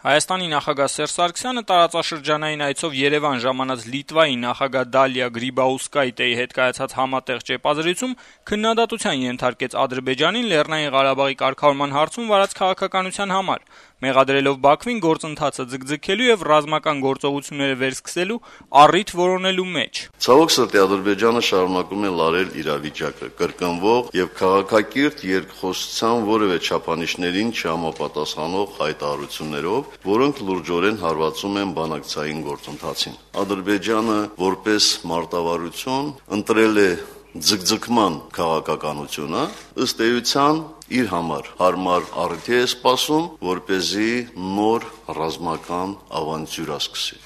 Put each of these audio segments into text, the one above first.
Հայաստանի նախագահ Սերժ Սարգսյանը տարածաշրջանային այցով Երևան ժամանած Լիտվայի նախագահ Դալիա Գրիբաուսկայտեի հետ կայացած համատեղ ճեպազրույցում քննադատության ենթարկեց Ադրբեջանին Լեռնային Ղարաբաղի կարգավորման հարցում վարած քաղաքականության համար, մեղադրելով Բաքվին գործընթացը ձգձգելու եւ ռազմական գործողությունները վերսկսելու առիթ որոնելու մեջ։ Ցավոք սրտի Ադրբեջանը շարունակում է լարել իրավիճակը, կրկնվող եւ քաղաքակիրթ երկխոսության որևէ չափանիշներին չհամապատասխանող հայտարարություններով, որոնք լուրջորեն հարվածում են բանակցային գործընթացին։ Ադրբեջանը որպես մարտավարություն ընտրել է ձգձգման քաղաքականությունը, ըստ էության իր համար հարմար առիթ է սպասում, որպեսզի նոր ռազմական ավանտյուրա սկսի։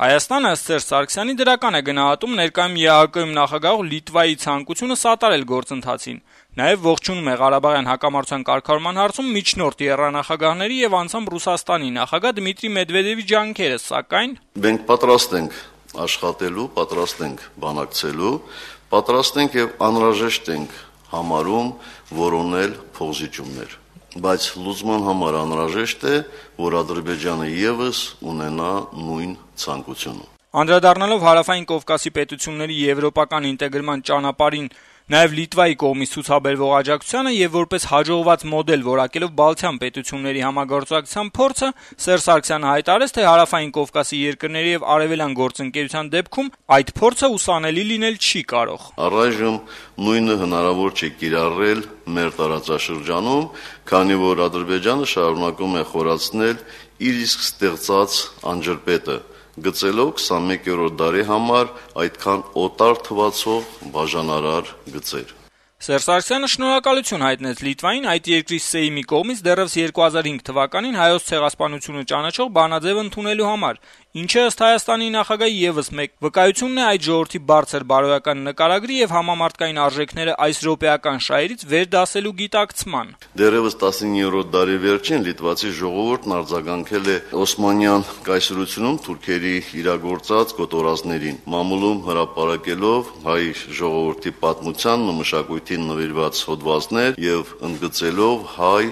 Հայաստանը ըստ Սերժ Սարգսյանի դրական է գնահատում ներկայում ԵԱՀԿ-ում նախագահ Լիտվայի ցանկությունը սատարել գործընթացին, նաև ողջունում է Ղարաբաղյան հակամարտության կարգավորման հարցում միջնորդ եռանախագահների եւ անձամբ Ռուսաստանի նախագահ Դմիտրի Մեդվեդևի ջանքերը, սակայն մենք պատրաստ ենք աշխատելու, պատրաստ ենք բանակցելու, պատրաստ ենք եւ անհրաժեշտ ենք համարում որոնել փոխզիջումներ, բայց լուծման համար անհրաժեշտ է, որ Ադրբեջանը եւս ունենա նույն ցանկությունը։ Անդրադառնալով Հարավային Կովկասի պետությունների եվրոպական ինտեգրման ճանապարհին, նաև Լիտվայի կողմից ցուցաբերվող աջակցությանը եւ որպես հաջողված մոդել որակելով Բալթյան պետությունների համագործակցության փորձը, Սերժ Սարգսյանը հայտարարեց, թե Հարավային Կովկասի երկրների եւ արևելյան գործընկերության դեպքում այդ փորձը ուսանելի լինել չի կարող։ Առայժմ նույնը հնարավոր չէ կիրառել մեր տարածաշրջանում, քանի որ Ադրբեջանը շարունակում է խորացնել իր իսկ ստեղծած անջրպետը, գծելով 21-րդ դարի համար այդքան օտար թվացող բաժանարար գծեր։ Սերժ Սարգսյանը շնորհակալություն հայտնեց Լիտվային այդ երկրի Սեյմի կողմից դեռևս 2005 թվականին հայոց ցեղասպանությունը ճանաչող բանաձև ընդունելու համար, ինչը ըստ Հայաստանի նախագահի եւս մեկ վկայությունն է այդ ժողովրդի բարձր բարոյական նկարագրի եւ համամարտկային արժեքները այս րոպեական շահերից վերդասելու գիտակցման։ Դեռևս 19-րդ դարի վերջին լիտվացի ժողովուրդն արձագանքել է Օսմանյան կայսրությունում թուրքերի իրագործած կոտորածներին, մամուլում հրապարակելով հայ ժողովրդի պատմությանն ու մշակույթին նվիրված հոդվածներ եւ ընդգծելով հայ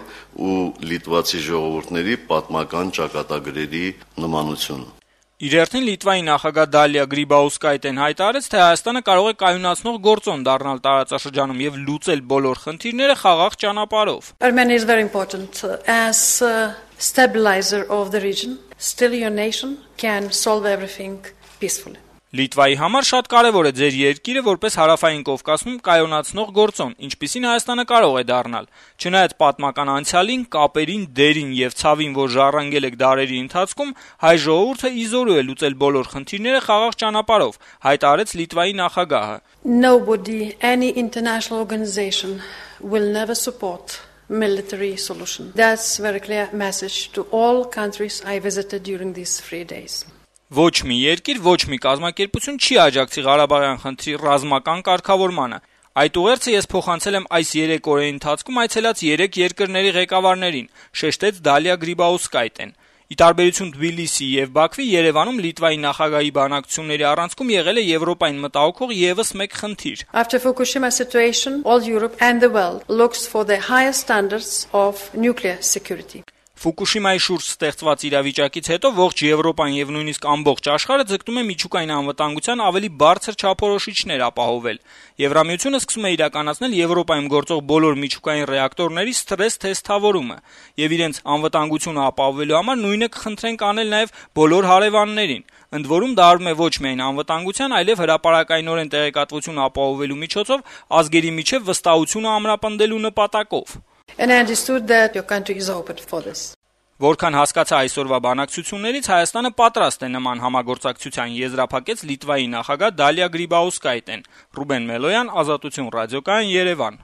ու լիտվացի ժողովուրդների պատմական ճակատագրերի նմանությունը։ Իր հերթին Լիտվայի նախագահ Դալիա Գրիբաուսկայտեն հայտարարեց, թե Հայաստանը կարող է կայունացնող գործոն դառնալ տարածաշրջանում եւ լուծել բոլոր խնդիրները խաղաղ ճանապարհով։ Armenia is very important as a stabilizer of the region. Still your nation can solve everything peacefully. Լիտվայի համար շատ կարևոր է ձեր երկիրը որպես Հարավային Կովկասում կայունացնող գործոն, ինչպիսին Հայաստանը կարող է դառնալ։ Չնայած պատմական անցյալին, կապերին, դերին եւ ցավին, որ ժառանգել եք դարերի ընթացքում, հայ ժողովուրդը իզորու է լուծել բոլոր խնդիրները խաղաղ ճանապարհով, հայտարարեց Լիտվայի նախագահը։ Nobody, any international organization will never support military solution. That's a very clear message to all countries I visited during these 3 days. Ոչ մի երկիր, ոչ մի կազմակերպություն չի աջակցի Ղարաբաղյան խնդրի ռազմական կարգավորմանը։ Այդ ուղերձը ես փոխանցել եմ այս 3 օրերի ընթացքում այցելած 3 երկրների ղեկավարներին, շեշտեց Դալիա Գրիբաուսկայտեն։ Ի տարբերություն Թբիլիսի եւ Բաքվի, Երևանում Լիտվայի նախագահի բանակցությունների առանցքում եղել է Եվրոպային մտահոգող եւս մեկ խնդիր։ After Fukushima situation, all Europe and the world looks for the highest standards of nuclear security. Ֆուկուշիմայի շուրջ ստեղծված իրավիճակից հետո ողջ Եվրոպան եւ նույնիսկ ամբողջ աշխարհը ձգտում է միջուկային անվտանգության ավելի բարձր չափորոշիչներ ապահովել։ Եվրամիությունը սկսում է իրականացնել Եվրոպայում գործող բոլոր միջուկային ռեակտորների սթրես թեստավորումը եւ իրենց անվտանգությունը ապահովելու համար նույնը կխնդրենք անել նաեւ բոլոր հարևաններին։ Ընդ որում դա արվում է ոչ միայն անվտանգության, այլև հրապարակայնորեն տեղեկատվություն ապահովելու միջոցով ազգերի միջև վստահությունը ամրապնդելու նպատակով։ And I understood that your country is open for this. Որքան հասկացա այսօրվա բանակցություններից, Հայաստանը պատրաստ է նման համագործակցության եզրափակեց Լիտվայի նախագահ Դալիա Գրիբաուսկայտեն։ Ռուբեն Մելոյան, Ազատություն ռադիոկայան, Երևան։